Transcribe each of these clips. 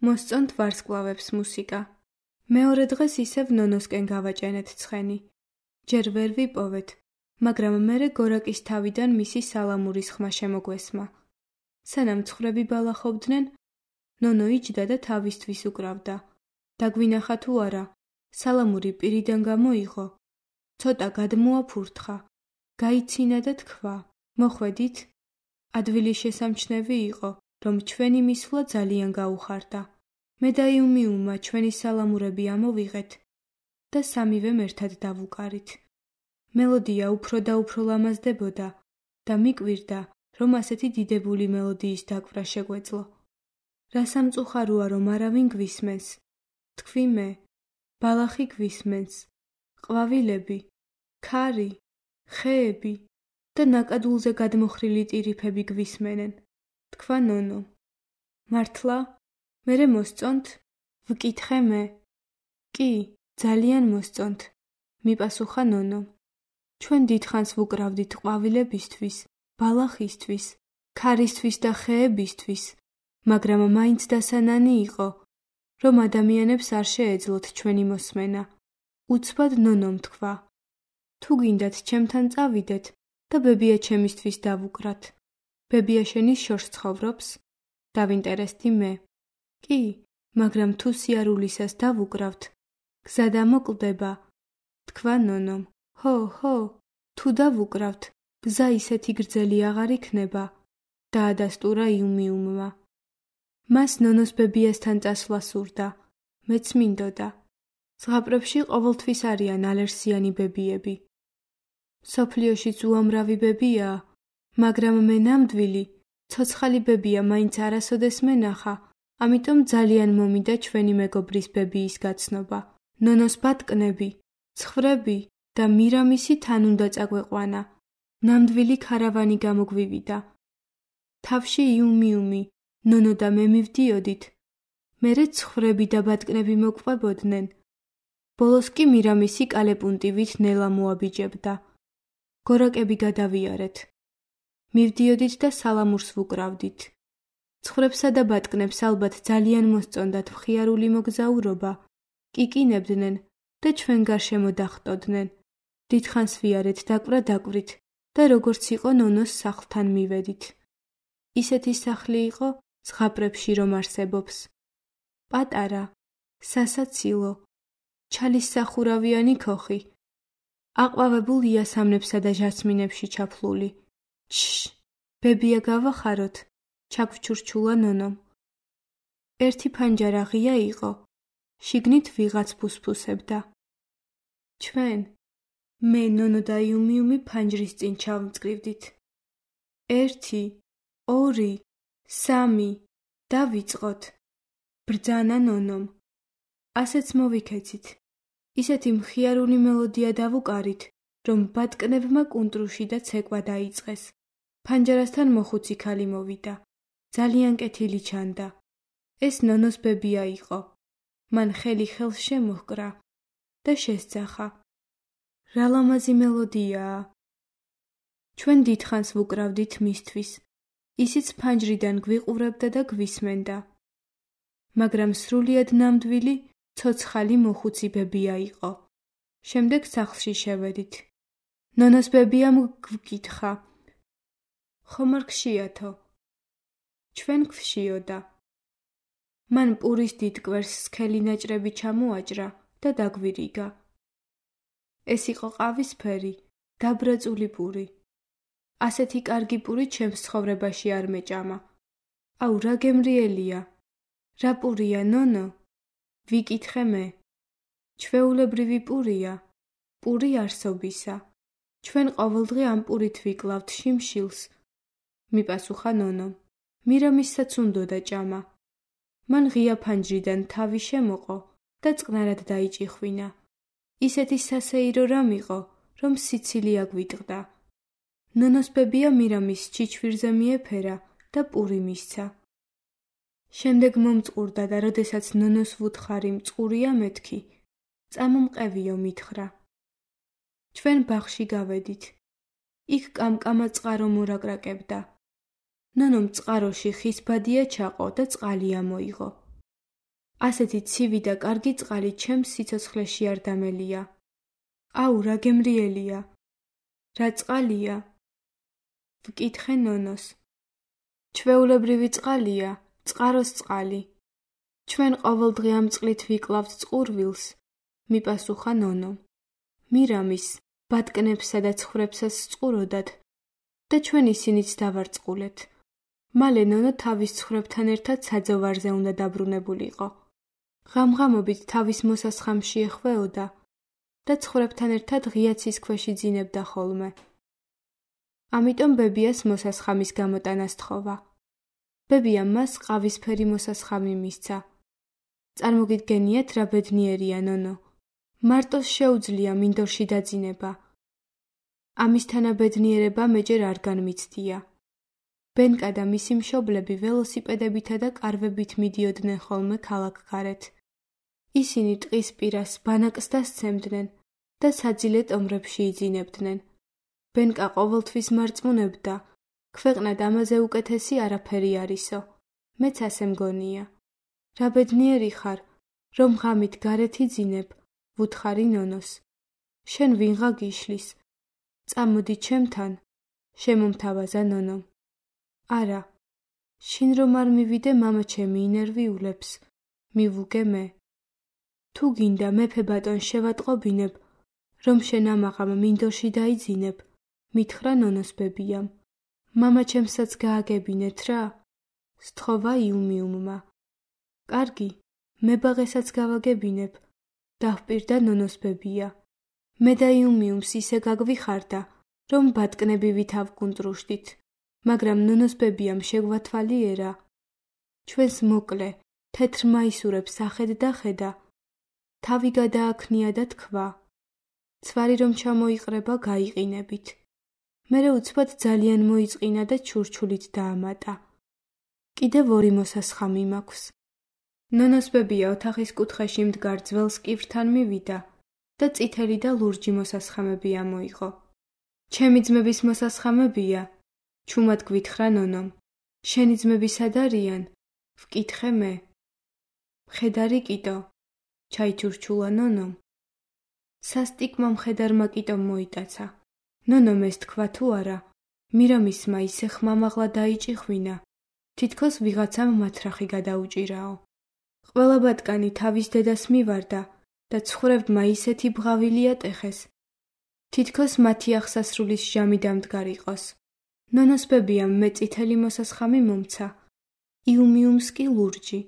მოსწონთ ვარსკვლავებს მუსიკა. მეორე დღეს ისევ ნონოსკენ გავაჭენეთ ცხენი. ჯერ ვერ ვიპოვეთ, მაგრამ მერე გორაკის თავიდან მისი სალამურის ხმა შემოგვესმა. სანამ ცხრები ბალახობდნენ, ნონო იჯდა და თავისთვის უკრავდა. დაგვინახა თუ არა, სალამური პირიდან გამოიღო. ცოტა გადმოაფურთხა, გაიცინა და თქვა, მოხვედით? ადვილი შესამჩნევი იყო, რომ ჩვენი მისვლა ძალიან გაუხარდა. მე და იუმიუმმა ჩვენი სალამურები ამოვიღეთ და სამივემ ერთად დავუკარით. მელოდია უფრო და უფრო ლამაზდებოდა და მიკვირდა, რომ ასეთი დიდებული მელოდიის დაკვირა შეგვეძლო. რა სამწუხაროა, რომ არავინ გვისმენს. თქვი მე, ბალახი გვისმენს, ყვავილები, ქარი, ხეები და ნაკადულზე გადმოხრილი ტირიფები გვისმენენ. თქვა ნონო. მართლა? მერე მოსწონთ? ვკითხე მე. კი, ძალიან მოსწონთ, მიპასუხა ნონომ. ჩვენ დიდხანს ვუკრავდით ყვავილებისთვის, ბალახისთვის, ქარისთვის და ხეებისთვის, მაგრამ მაინც დასანანი იყო, რომ ადამიანებს არ შეეძლოთ ჩვენი მოსმენა. უცბად ნონომ თქვა. თუ გინდათ ჩემთან წავიდეთ და ბებია ჩემისთვის დავუკრათ. ბებია შენი შორს ცხოვრობს? დავინტერესდი მე. კი, მაგრამ თუ სიარულისას დავუკრავთ, გზა დამოკლდება, თქვა ნონომ. ჰო, თუ დავუკრავთ, გზა ისეთი გრძელი აღარ იქნება, დაადასტურა იუმიუმმა. მას ნონოს ბებიასთან წასვლა სურდა, მეც მინდოდა. ზღაპრებში ყოველთვის არიან ალერსიანი ბებიები. სოფლიოშიც უამრავი ბებიაა, მაგრამ მე ნამდვილი, ცოცხალი ბებია მაინც არასოდეს მენახა, ამიტომ ძალიან მომიდა ჩვენი მეგობრის ბებიის გაცნობა. ნონოს ბატკნები, ცხრები და მირამისი თან უნდა წაგვეყვანა. ნამდვილი ქარავანი გამოგვივიდა. თავში იუმიუმი, ნონო და მე მივდიოდით. მერე ცხრები და ბატკნები მოგვყვებოდნენ. ბოლოს კი მირამისი კალეპუნტივით ნელა მოაბიჯებდა. გორაკები გადავიარეთ. მივდიოდით და სალამურს ვუკრავდით. ცხრებსა და ბატკნებს ალბათ ძალიან მოსწონდათ მხიარული მოგზაურობა, კიკინებდნენ და ჩვენ გარშემო დახვტოდნენ. დიდხანს ვიარეთ დაკვირით და როგორც იყო ნონოს სახლთან მივედით. ისეთი სახლი იყო ზღაპრებში რომ არსებობს. პატარა, სასაცილო, ჩალის სახურავიანი ქოხი. აყვავებულ იასამნებსა და ჟასმინებში ჩაფლული. ბებია გავახაროთ, ჩაგვჩურჩულა ნონომ. ერთი ფანჯარა ღია იყო, შიგნით ვიღაც ფუსფუსებდა. ჩვენ, მე, ნონო და იუმიუმი ფანჯრის წინ ჩავმწკრივდით. 1, 2, 3, დავიწყოთ. ბრძანა ნონომ. ასეც მოვიქეცით. ისეთი მხიარული მელოდია დავუკარით, რომ ბატკნებმა კუნტრუში და ცეკვა დაიწყეს. ფანჯარასთან მოხუცი ქალი მოვიდა. ძალიან კეთილი ჩანდა. ეს ნონოს ბებია იყო. მან ხელი ხელს შემოჰკრა და შესძახა. რა ლამაზი მელოდიაა. ჩვენ დიდხანს ვუკრავდით მისთვის. ისიც ფანჯრიდან გვიყურებდა და გვისმენდა. მაგრამ სრულიად ნამდვილი, ცოცხალი მოხუცი ბებია იყო. შემდეგ სახლში შევედით. ნონოს ბებიამ გვკითხა. ხომ არ გშიათო? ჩვენ გვშიოდა. მან პურის დიდ კვერს სქელი ნაჭრები ჩამოაჭრა და დაგვირიგა. ეს იყო ყავისფერი, დაბრაწული პური. ასეთი კარგი პური ჩემს ცხოვრებაში არ მეჭამა. აუ, რა გემრიელია. რა პურია, ნონო? ვიკითხე მე. ჩვეულებრივი პურია, პური არსობისა. ჩვენ ყოველდღე ამ პურით ვიკლავთ შიმშილს, მიპასუხა ნონომ. მირამისაც უნდოდა ჭამა. მან ღია ფანჯრიდან თავი შემოყო და წყნარად დაიჭიხვინა. ისეთი სასეირო რამ იყო, რომ სიცილი აგვიტყდა. ნონოს ბებია მირამის ჩიჩვირზე მიეფერა და პური მისცა. შემდეგ მომწყურდა და როდესაც ნონოს ვუთხარი მწყურია მეთქი, წამომყევიო მითხრა. ჩვენ ბაღში გავედით. იქ კამკამა წყარო მორაკრაკებდა. ნონომ წყაროში ხის ბადია ჩაყო და წყალი ამოიღო. ასეთი ცივი და კარგი წყალი ჩემს სიცოცხლეში არ დამელია. აუ, რა გემრიელია. რა წყალია? ვკითხე ნონოს. ჩვეულებრივი წყალია, წყაროს წყალი. ჩვენ ყოველდღე ამ წყლით ვიკლავთ წყურვილს, მიპასუხა ნონომ. მირამის, ბატკნებსა და ცხვრებსაც წყუროდათ და ჩვენ ისინიც დავარწყულეთ. მალე ნონო თავის ცხვრებთან ერთად საძოვარზე უნდა დაბრუნებულიყო. ღამღამობით თავის მოსასხამში ეხვეოდა და ცხვრებთან ერთად ღია ცის ქვეშ იძინებდა ხოლმე. ამიტომ ბებიას მოსასხამის გამოტანა სთხოვა. ბებიამ მას ყავისფერი მოსასხამი მისცა. წარმოგიდგენიათ, რა ბედნიერია ნონო. მარტოს შეუძლია მინდორში დაძინება. ამის თანაბედნიერება მეჯერ არ განმიცდია. ბენკა და მისი მშობლები ველოსიპედებითა და კარვებით მიდიოდნენ ხოლმე ქალაქგარეთ. ისინი ტყის პირას ბანაკს დასცემდნენ და საძილე ტომრებში იძინებდნენ. ბენკა ყოველთვის მარწმუნებდა, ქვეყნად ამაზე უკეთესი არაფერი არისო. მეც ასე მგონია. რა ბედნიერი ხარ, რომ ღამით გარეთ იძინებ, ვუთხარი ნონოს. შენ ვინღა გიშლის. წამოდი ჩემთან, შემომთავაზა ნონომ. არა, შინ რომ არ მივიდე, მამა ჩემი ინერვიულებს, მივუგე მე. თუ გინდა მეფე ბატონ შევატყობინებ, რომ შენ ამაღამ მინდორში დაიძინებ, მითხრა ნონოს ბებიამ. მამა ჩემსაც გააგებინეთ რა? სთხოვა იუმიუმმა. კარგი, მებაღესაც გავაგებინებ, დავპირდა ნონოს ბებია. მე და იუმიუმს ისე გაგვიხარდა, რომ ბატკნები ვითავკუნტრუშდით, მაგრამ ნონოს ბებიამ შეგვათვალიერა. ჩვენს მოკლე, თეთრ მაისურებს ახედა ხედა, თავი გადააქნია და თქვა. ცვარი რომ ჩამოიყრება, გაიყინებით. მერე უცბად ძალიან მოიწყინა და ჩურჩულით დაამატა. კიდევ ორი მოსასხამი მაქვს. ნონოს ბებია ოთახის კუთხეში მდგარ ძველს კივრთან მივიდა და წითელი და ლურჯი მოსასხამები ამოიღო. ჩემი ძმების მოსასხამებია, ჩუმად გვითხრა ნონომ. შენი ძმები სად არიან? ვკითხე მე. მხედარი კიტო, ჩაიჩურჩულა ნონომ. სასტიკმა მხედარმა კიტომ მოიტაცა. ნონომ ეს თქვა თუ არა, მირამისმა ისე ხმამაღლა დაიჭიხვინა, თითქოს ვიღაცამ მათრახი გადაუჭირაო. ყველა ბატკანი თავის დედას მივარდა და ცხვრებმა ისეთი ბღავილი ატეხეს, თითქოს მათი აღსასრულის ჟამი დამდგარიყოს. ნონოს ბებიამ მე წითელი მოსასხამი მომცა, იუმიუმს კი ლურჯი.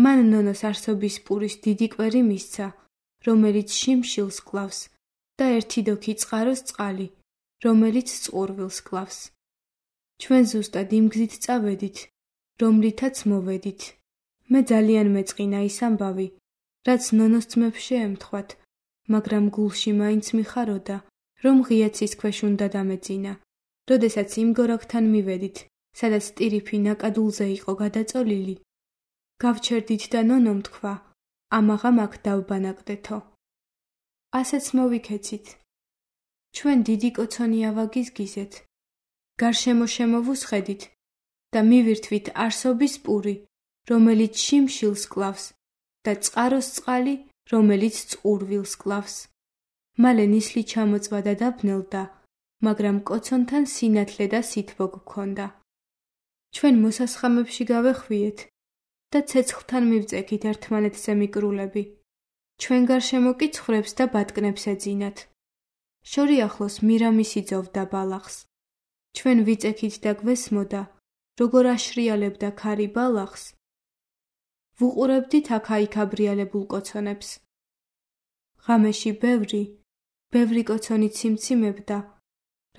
მან ნონოს არსობის პურის დიდი კვერი მისცა, რომელიც შიმშილს კლავს და ერთი დოქი წყაროს წყალი, რომელიც წყურვილს კლავს. ჩვენ ზუსტად იმ გზით წავედით, რომლითაც მოვედით. მე ძალიან მეწყინა ის ამბავი, რაც ნონოს ძმებს შეემთხვათ, მაგრამ გულში მაინც მიხაროდა, რომ ღია ცის ქვეშ უნდა დამეძინა. როდესაც იმ გორაკთან მივედით, სადაც ტირიფი ნაკადულზე იყო გადაწოლილი, გავჩერდით და ნონომ თქვა, ამაღამ აქ დავბანაკდეთო. ასეც მოვიქეცით. ჩვენ დიდი კოცონი ავაგიზგიზეთ, გარშემო შემოვუსხედით და მივირთვით არსობის პური, რომელიც შიმშილს კლავს და წყაროს წყალი, რომელიც წყურვილს კლავს. მალე ნისლი ჩამოწვა და დაბნელდა, მაგრამ კოცონთან სინათლე და სითბო გქონდა. ჩვენ მოსასხამებში გავეხვიეთ და ცეცხლთან მივწექით ერთმანეთზე მიკრულები. ჩვენ გარშემო კი ცხვრებს და ბატკნებს ეძინათ. შორი ახლოს მირამის იძოვდა ბალახს. ჩვენ ვიწექით და გვესმოდა, როგორ აშრიალებდა ქარი ბალახს. ვუყურებდით აქა-იქ აბრიალებულ კოცონებს. ღამეში ბევრი კოცონი ციმციმებდა,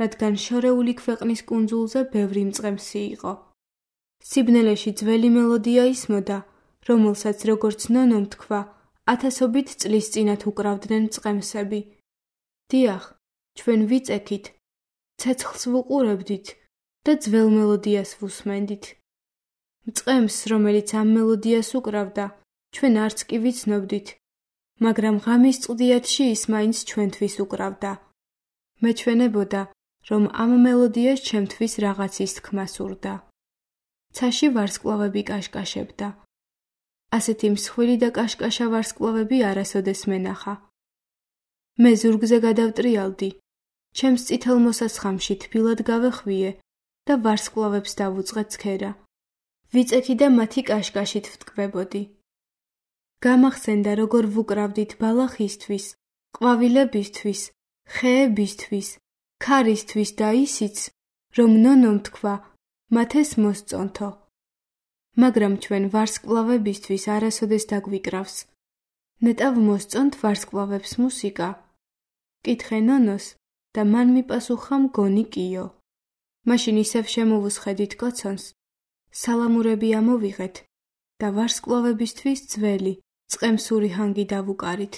რადგან შორეული ქვეყნის კუნძულზე ბევრი მწყემსი იყო. სიბნელეში ძველი მელოდია ისმოდა, რომელსაც როგორც ნონომ თქვა, ათასობით წლის წინათ უკრავდნენ მწყემსები. დიახ, ჩვენ ვიწექით, ცეცხლს ვუყურებდით და ძველ მელოდიას ვუსმენდით. მწყემს, რომელიც ამ მელოდიას უკრავდა, ჩვენ არც კი ვიცნობდით, მაგრამ ღამის წვდიათში ის მაინც ჩვენთვის უკრავდა. მეჩვენებოდა, რომ ამ მელოდიას ჩემთვის რაღაცის თქმა სურდა. ცაში ვარსკვლავები კაშკაშებდა. ასეთი მსხვილი და კაშკაშა ვარსკვლავები არასოდეს მენახა. მე ზურგზე გადავტრიალდი, ჩემს წითელ მოსასხამში თბილად გავეხვიე და ვარსკვლავებს დავუწყე ცქერა. ვიწექი და მათი კაშკაშით ვტკბებოდი. გამახსენდა, როგორ ვუკრავდით ბალახისთვის, ყვავილებისთვის, ხეებისთვის, ქარისთვის და ისიც, რომ ნონომ თქვა, მათ ეს მოსწონთო. მაგრამ ჩვენ ვარსკვლავებისთვის არასოდეს დაგვიკრავს. ნეტავ მოსწონთ ვარსკვლავებს მუსიკა? კითხე ნონოს და მან მიპასუხა მგონი კიო. მაშინ ისევ შემოვუსხედით კოცონს, სალამურები ამოვიღეთ და ვარსკვლავებისთვის ძველი, წყემსური ჰანგი დავუკარით.